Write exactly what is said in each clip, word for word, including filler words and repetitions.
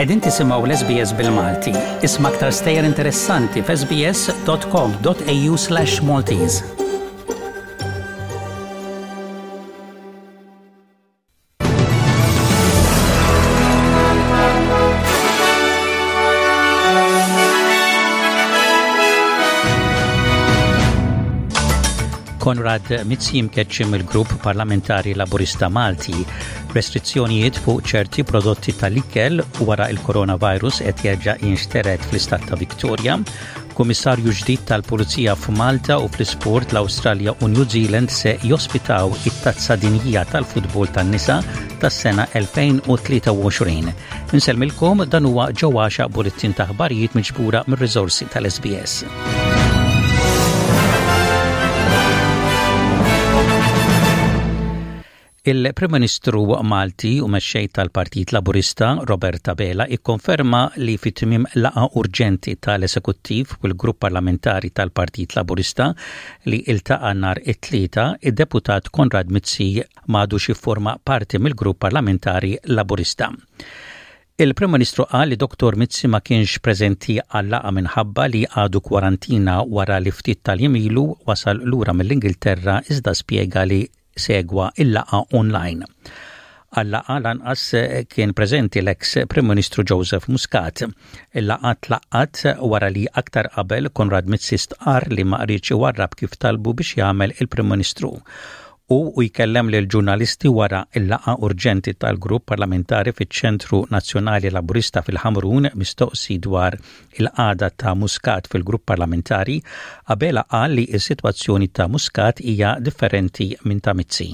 Qegħdin tisimgħu l-S B S bil-Malti. Isma' aktar stejjer interessanti f'S B S dot com dot A U slash Maltese. Konrad Mizzi mkeċċi mill-Grupp Parlamentari Laburista Malti. Restrizzjonijiet fuq ċerti prodotti tal-ikel wara il-coronavirus qed jerġa' jinxtered fl-istat ta' Victoria. Kummissarju ġdid tal-Pulizija f'Malta u fl-isport, l-Awstralja u New Zealand se jospitaw it-Tazza Dinjija tal-Futbol tan-Nisa tas-sena elfejn u tlieta u għoxrin. Insellmilkom, dan huwa ġewwaxa bulletin ta' aħbarijiet miġbura mir-riżorsi tal-S B S. Il-Prim Ministru Malti u mexxej tal-Partit Laburista Robert Abela ikkonferma li fit tmiem laqgħa urġenti tal-Esekuttiv u l-Grupp Parlamentari tal-Partit Laburista li iltaqa' nhar it-Tlieta, id-deputat Konrad Mizzi m'għadux jifforma parti mill-Grupp Parlamentari Laburista. Il-Prim Ministru qal li Doktor Mizzi ma kienx preżenti għal-laqgħa minħabba li għadu kwarantina wara li ftit tal-jiem ilu wasal lura mill-Ingilterra, iżda spjega li segwa il-laqgħa online. Għal-laqgħa lanqas kien preżenti l-eks Prim Ministru Joseph Muscat. Il-laqgħa tlaqqat wara li aktar qabel Konrad Mizzi stqar li ma riedx iwarrab kif talbu biex jagħmel il-Prim Ministru. U u jkellem lil ġurnalisti wara il-laqgħa urġenti tal-grupp parlamentari fiċ-Ċentru Nazzjonali Laburista fil-Ħamrun, mistoqsi dwar il-qagħda ta' Muscat fil-grupp parlamentari, Abela qal li s-sitwazzjoni ta' Muscat hija differenti minn ta' Mizzi.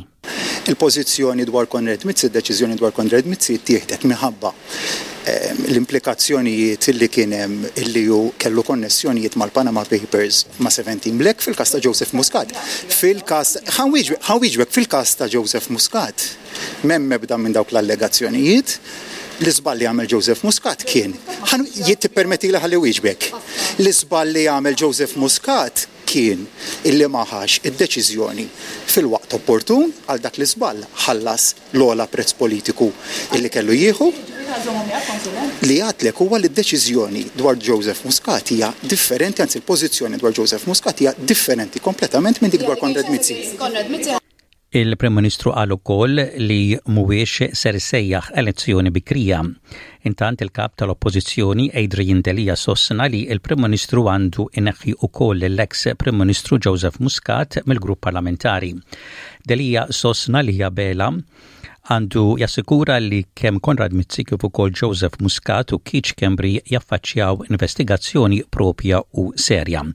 Il-pożizzjoni dwar Konrad Mizzi, id-deċiżjoni dwar Konrad Mizzi ttieħdet minħabba ehm, l-implikazzjonijiet li kien hemm illi hu kellu konnessjonijiet mal-Panama Papers, ma' seventeen Black. Fil-każ ta' Joseph Muscat. Fil-każ, ħa nwieġbek, fil-każ ta' Joseph Muscat, m'hemm ebda minn dawk l-allegazzjonijiet. L-iżball li għamel Joseph Muscat kien, jitpermetti li ħalli nwieġbek, l-iżball li għamel Joseph Muscat kien illi ma ħax id-deċiżjoni fil-waqt opportun. Għal dak l-iżball ħallas l-ogħla prezz politiku illi kellu jieħu. Li għedtlek huwa li d-deċiżjoni dwar Joseph Muscat hija differenti, anzi l-pożizzjoni dwar Joseph Muscat hija differenti kompletament minn dik dwar Konrad Mizzi. Il-Prim Ministru qal ukoll li mhuwiex ser sejjaħ elezzjoni bikrija. Intant, il-kap tal-Oppożizzjoni Adrian Delia sostna li il-Prim Ministru għandu ineħħi ukoll l-ex Prim Ministru Joseph Muscat mill-grupp parlamentari. Delia sostna li Abela għandu jassikura li kemm Konrad Mizzi kif ukoll Joseph Muscat u Keith Schembri jaffaċċjaw investigazzjoni propja u serja.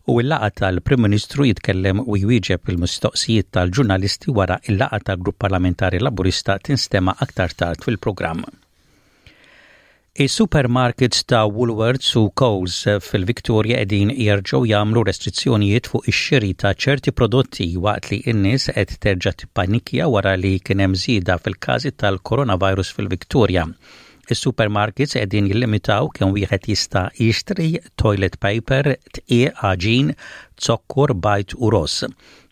U il-laqgħa tal-Prim Ministru jitkellem u jwieġeb il-mistoqsijiet tal-ġurnalisti wara il-laqgħa tal-Grupp Parlamentari Laburista tinstema' aktar tard fil-programm. Is-supermarkets ta' Woolworths u Coles fil-Victoria qegħdin jerġgħu jagħmlu restrizzjonijiet fuq ix-xiri ta' ċerti prodotti waqt li n-nies qed terġa' tippanikja wara li kien hemm żieda fil-każi tal-coronavirus fil-Victoria. Is-supermarkets qegħdin jillimitaw kemm wieħed jista' jixtri toilet paper, dqiq, għaġin, zokkor, bajd u ross.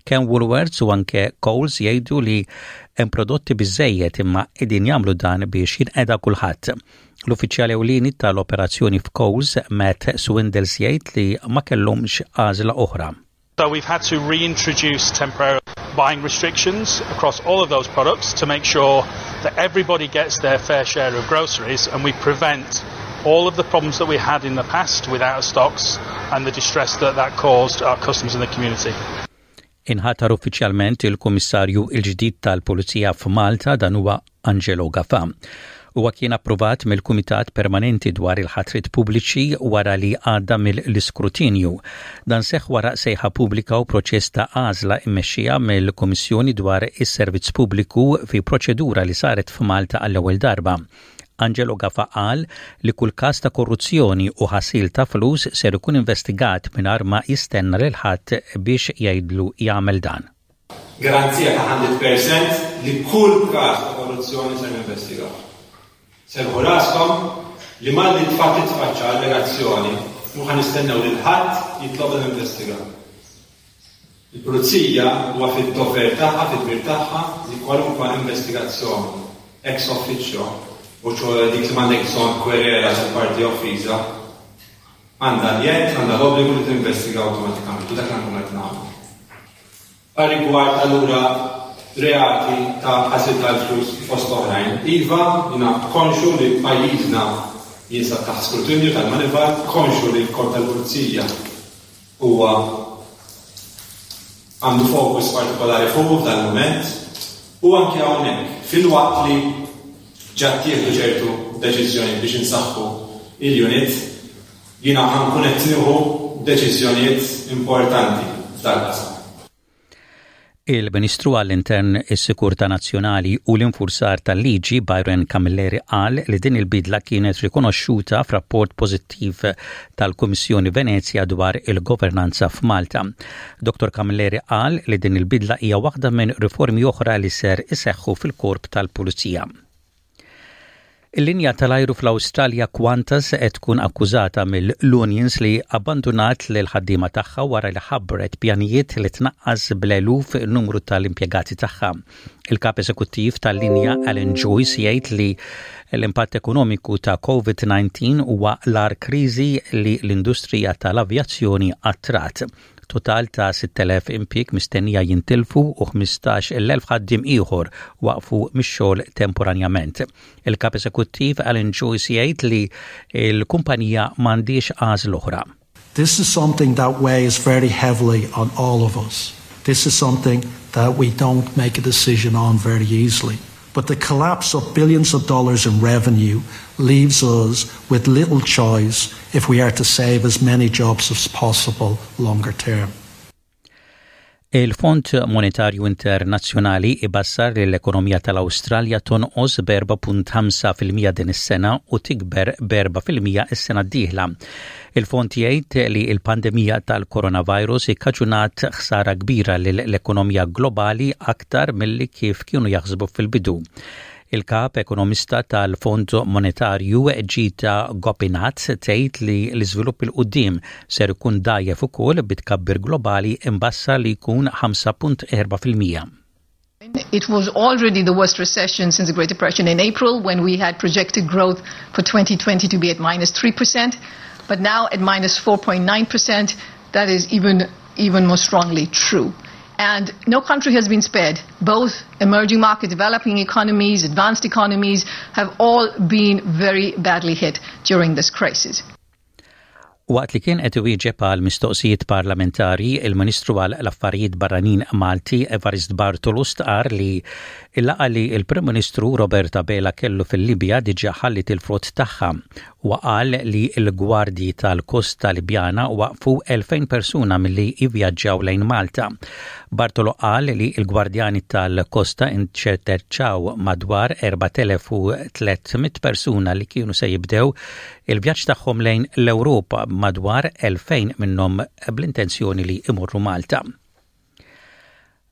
Kemm Woolworths u anke Coles jgħidu li hemm prodotti biżejjed, imma qegħdin jagħmlu dan biex jinqeda kulħadd. L-uffiċjali ewlieni tal-operazzjoni f'Coles, Matt Swindles, jgħid li ma kellhomx għażla oħra. So we've had to reintroduce temporary buying restrictions across all of those products to make sure that everybody gets their fair share of groceries and we prevent all of the problems that we had in the past with out of stocks and the distress that that caused our customers in the community. Inħatar uffiċjalment il-Kummissarju il-ġdid tal-Pulizija f'Malta. Dan huwa Angelo Gafa. Huwa kien approvat mill-Kumitat Permanenti dwar il-ħatrit pubbliċi wara li għadda mill-iskrutinju. Dan seħ wara sejħa pubblika u proċess ta' għażla immexxija mill-Kummissjoni dwar is-Servizz Pubbliku fi proċedura li saret f'Malta għall-ewwel darba. Angelo Gafa qal li kull każ ta' korruzzjoni u ħasil ta' flus ser ikun investigat mingħajr ma jistenna lil ħadd biex jgħidlu jagħmel dan. Garanzija ta' mija fil-mija li kull każ ta' korruzzjoni ser investigaw. Serħu raskom li malli tfatt titfaċċa allegazzjoni, mhux ħa nistennew lil ħadd jitlobna ninvestigaw. Il-pulizija huwa fid-dover tagħha, fid-dmir tagħha li kwalunkwe investigazzjoni ex officio U ċoè dik li m'għandek bżonn kwerela tal-parti offiża, għandha l-jedd, għandha l-obbligu li tinvestiga awtomatikament, u dak li nkunu qed nagħmlu. Rigward allura reati ta' ħasil tal-flus fost oħrajn, iva, jiena konxju li pajjiżna jinsab taħt skrutinju tal-Moneyval, konxju li l-Korp tal-Pulizija huwa għandu fokus partikolari fuq dal-moment u anke hawnhekk filwaqt li ġa ttieħdu ċertu deċiżjoni biex insaħħu il-unit, jiena ħa nkun qed nieħu deċiżjonijiet importanti f'dal-qasam. Il-Ministru għall-Intern, is-Sikurtà Nazzjonali u l-Infurzar tal-Liġi Byron Camilleri qal li din il-bidla kienet rikonoxxuta f'rapport pożittiv tal-Kummissjoni Venezja dwar il-governanza f'Malta. Dottor Camilleri qal li din il-bidla hija waħda minn riformi oħra li ser iseħħu fil-korp tal-Pulizija. Il-linja tal-ajru fl-Awstralja Qantas qed tkun akkużata mill-unions li abbandunat lil ħaddiema tagħha wara li ħabbret pjanijiet li tnaqqas bl-eluf numru tal-impjegati tagħha. Il-kap eżekuttiv tal-linja Alan Joyce jgħid li l-impatt ekonomiku ta' COVID nineteen huwa l-agħar kriżi li l-industrija tal-avjazzjoni qatt rat. Total ta' sitt elef impjieg mistennija jintilfu u ħmistax-il elf ħaddiem ieħor waqfu mix-xogħol temporanjament. Il-kap eżekuttiv Alan Joyce jgħid li l-kumpanija m'għandhiex għażla oħra. This is something that weighs very heavily on all of us. This is something that we don't make a decision on very easily. But the collapse of billions of dollars in revenue leaves us with little choice if we are to save as many jobs as possible longer term. Il-Fond Monetarju Internazzjonali ibassar li l-ekonomija tal-Awstralja tonqos b'erbgħa punt ħamsa fil-mija din is-sena u tikber b'erbgħa fil-mija is-sena d-dieħla. Il-fond jgħid li l-pandemija tal-coronavirus ikkaġunat ħsara kbira lill-ekonomija globali, aktar milli kif kienu jaħsbu fil-bidu. Il-kap ekonomista tal-Fond Monetarju Gita Gopinath tgħid li l-iżvilupp 'il quddiem ser ikun dgħajjef ukoll, bi tkabbir globali imbassar li jkun ħamsa punt erbgħa fil-mija. It was already the worst recession since the Great Depression in April, when we had projected growth for twenty twenty to be at minus three percent, but now at minus four point nine percent, that is even, even more strongly true. And no country has been spared. Both emerging market, developing economies, advanced economies have all been very badly hit during this crisis. Waqt li kien qed iwieġeb għal mistoqsijiet parlamentari, il-Ministru għal l-Affarijiet Barranin Malti Evarist Bartolo stqar li il-laqgħa li il-Prim Ministru Robert Abela kellu fil-Libja diġà ħallit il-frott tagħha u qal li l-gwardji tal-Kosta Libjana waqfu elfejn persuna milli jivvjaġġaw lejn Malta. Bartolo qal li l-gwardjani tal-Kosta inċerterċaw madwar erbat elef u tliet mitt persuna li kienu se jibdew il-vjaġġ tagħhom lejn l-Ewropa, madwar elfejn minnhom bl-intenzjoni li imorru Malta.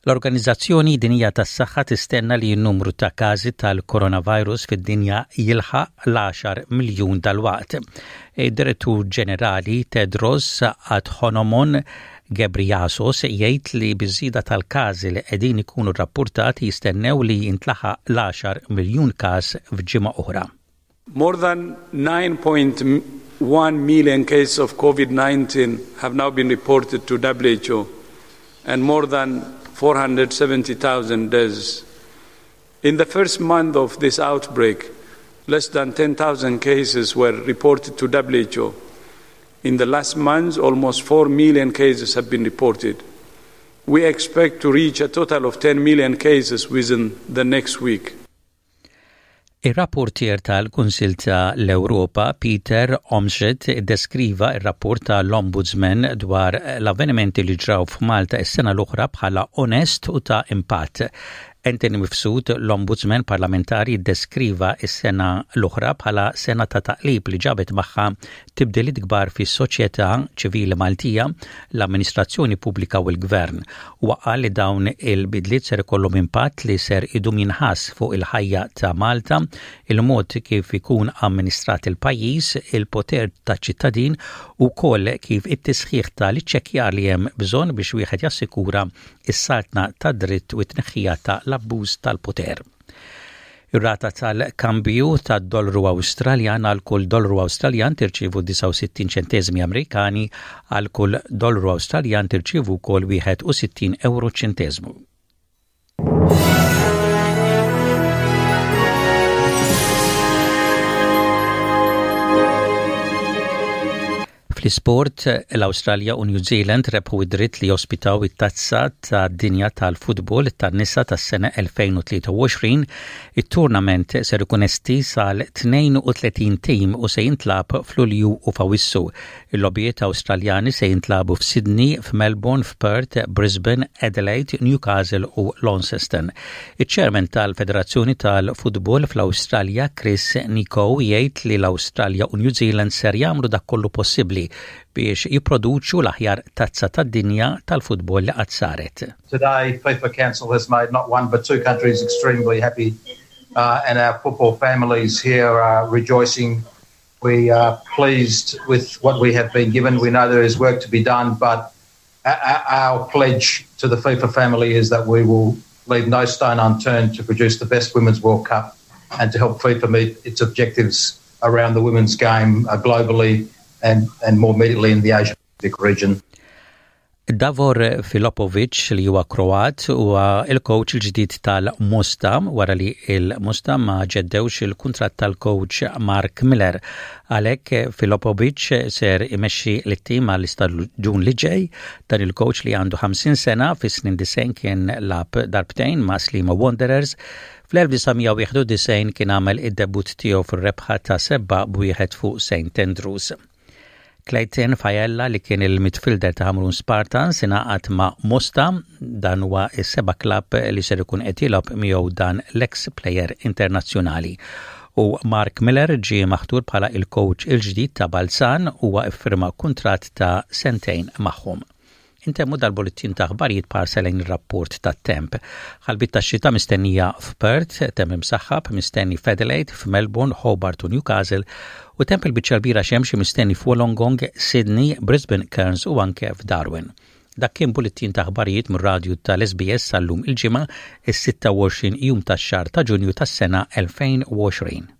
L-Organizzazzjoni Dinjija tas-Saħħa tistenna li n-numru ta' każi tal-coronavirus fid-dinja jilħaq l-għaxar miljun dal-waqt. Id-Direttur Ġenerali Tedros Adhanom Ghebreyesus jgħid li biż-żieda tal-każi li qegħdin ikunu rapportati jistennew li jintlaħaq l-għaxar miljun każ f'ġimgħa oħra. More than nine point one million cases of COVID nineteen have now been reported to W H O and more than four hundred seventy thousand deaths. In the first month of this outbreak, less than ten thousand cases were reported to W H O. In the last months, almost four million cases have been reported. We expect to reach a total of ten million cases within the next week. Ir-rapportier tal-Kunsil ta' l-Ewropa Peter Omschet deskriva ir-rapport tal-Ombudsman dwar l-avvenimenti li ġraw f'Malta is-sena l-oħra bħala onest u ta' impatt. Anthony Mifsud, l-Ombudsman parlamentari, deskriva is-sena l-oħra bħala sena ta' taqlib li ġabet magħha tibdiliet kbar fis-soċjetà ċivili Maltija, l-amministrazzjoni pubblika u l-gvern. U qal li dawn il-bidliet ser ikollhom impatt li ser idum jinħass fuq il-ħajja ta' Malta, il-mod kif ikun amministrat il-pajjiż, il-poter ta' ċittadin u wkoll kif it-tisħiħ tal-iċċekkjar li hemm bżonn biex wieħed jassikura is-saltna ta' dritt u t-tneħħija ta' l-abbuż tal-poter. Ir-rata tal-kambju tad-dollaru Awstraljan: għal kull dollaru Awstraljan tirċievu disgħa u sittin ċentesmi Amerikani, għal kull dollaru Awstraljan tirċievu wkoll wieħed u sittin euro ċentesmu. Fl-isport, l-Awstralja u New Zealand rebħu id-dritt li jospitaw it-tazza tad-dinja tal-futbol tan-nisa tas-sena elfejn u tlieta u għoxrin. Il-tournament ser ikun estiż għal tnejn u tletin tim u se jintlagħab f'Lulju u f'Awissu. Il-logħbiet Awstraljani se jintlagħbu f'Sydney, f'Melbourne, f'Perth, Brisbane, Adelaide, Newcastle u Launceston. Iċ-chairman tal-Federazzjoni tal-Futbol fl-Awstralja, Chris Nikou, jgħid li l-Awstralja u New Zealand ser jagħmlu dak kollu possibbli biex jipproduċu l-aħjar tazza tad-dinja tal-futbol li qatt saret. Today, FIFA Council has made not one but two countries extremely happy, uh, and our football families here are rejoicing. We are pleased with what we have been given. We know there is work to be done, but our pledge to the FIFA family is that we will leave no stone unturned to produce the best Women's World Cup and to help FIFA meet its objectives around the women's game uh, globally and, and more immediately in the Asia Pacific region. Davor Filipovic, li huwa Kroat, huwa il-coach il-ġdid tal-Mosta wara li il-Mosta ma ġeddewx il-kuntratt tal-coach Mark Miller. Għalhekk Filipovic ser imexxi l-tim għall-istaġun li ġej. Dan il-coach, li għandu ħamsin sena, fis-snin disgħin kien lagħab darbtejn ma' Sliema Wanderers. Fl-elf disa' mija wieħed u disgħin kien għamel id-debut tiegħu fir-rebħa ta' seba' b'wieħed fuq Saint Andrews. Clayton Failla, li kien il-midfielder ta' Hamrun Spartans, ingħaqad ma' Mosta. Dan huwa is-seba' klabb li ser ikun qed jilgħab miegħu dan l-ex player internazzjonali. U Mark Miller ġie maħtur bħala il-coach il-ġdid ta' Balzan, huwa iffirma kuntratt ta' sentejn magħhom. Intemmu dal-bullettin ta' aħbarijiet b'ħarsa lejn il-rapport ta' temp. Ħalbiet ta' xita mistennija f'Perth, temp imsaħħab mistenni f'Adelaide, f'Melbourne, Hobart u Newcastle, u temp il-biċċa kbira xemxi mistenni f'Wollongong, Sydney, Brisbane, Cairns u anke f'Darwin. Dak kien bullettin ta' aħbarijiet mir-radju tal-S B S sal-lum, il-Ġimgħa, is-sitta u għoxrin jum tax-xahar ta' Ġunju tas-sena elfejn u għoxrin.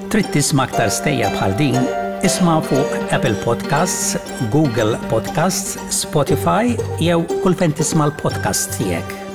Trid tisma' aktar stejjer bħal din? Isma' fuq Apple Podcasts, Google Podcasts, Spotify jew kull fejn tisma' l-podcast tiegħek.